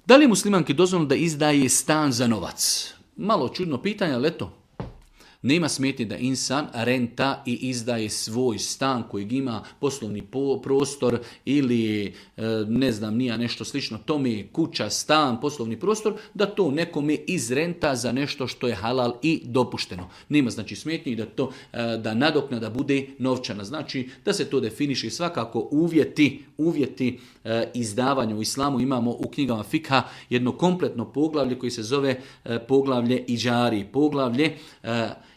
Da li je muslimanki dozvoljeno da izdaje stan za novac? Malo čudno pitanje, ali eto. Nema smetnje da insan renta i izdaje svoj stan kojeg ima poslovni prostor ili ne znam nija nešto slično tome, kuća, stan, poslovni prostor, da to nekome izrenta za nešto što je halal i dopušteno. Nema znači smetnje da to da nadoknada bude novčana. Znači da se to definiše svakako uvjeti izdavanja u islamu. Imamo u knjigama fikha jedno kompletno poglavlje koji se zove poglavlje iđari, poglavlje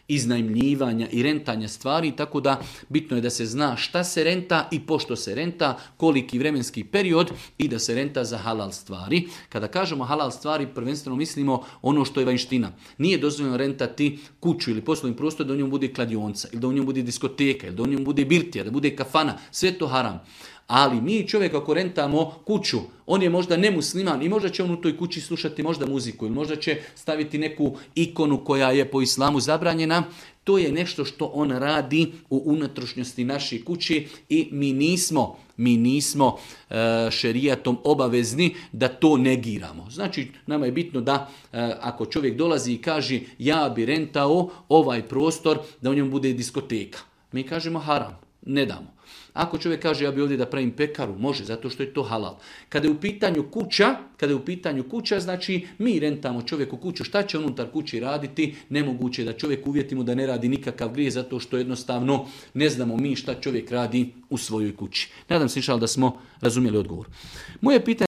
iznajmljivanja i rentanja stvari, tako da bitno je da se zna šta se renta i pošto se renta, koliki vremenski period i da se renta za halal stvari. Kada kažemo halal stvari, prvenstveno mislimo ono što je vanjština. Nije dozvoljeno rentati kuću ili poslovni prostor da u njemu bude kladionica, ili da u njemu bude diskoteka, ili da u njemu bude birtija, da bude kafana, sve to haram. Ali mi čovjek ako rentamo kuću, on je možda nemusliman i možda će on u toj kući slušati možda muziku ili možda će staviti neku ikonu koja je po islamu zabranjena. To je nešto što on radi u unutrašnjosti naše kuće i mi nismo šerijatom obavezni da to negiramo. Znači, nama je bitno da ako čovjek dolazi i kaže ja bi rentao ovaj prostor da u njemu bude diskoteka. Mi kažemo haram, ne damo. Ako čovjek kaže ja bi ovdje da pravim pekaru, može, zato što je to halal. Kada je u pitanju kuća, znači mi rentamo čovjeku kuću, šta će unutar kući raditi, nemoguće da čovjek uvjetimo da ne radi nikakav grijeh, zato što jednostavno ne znamo mi šta čovjek radi u svojoj kući. Nadam se da smo razumjeli odgovor. Moje pitanje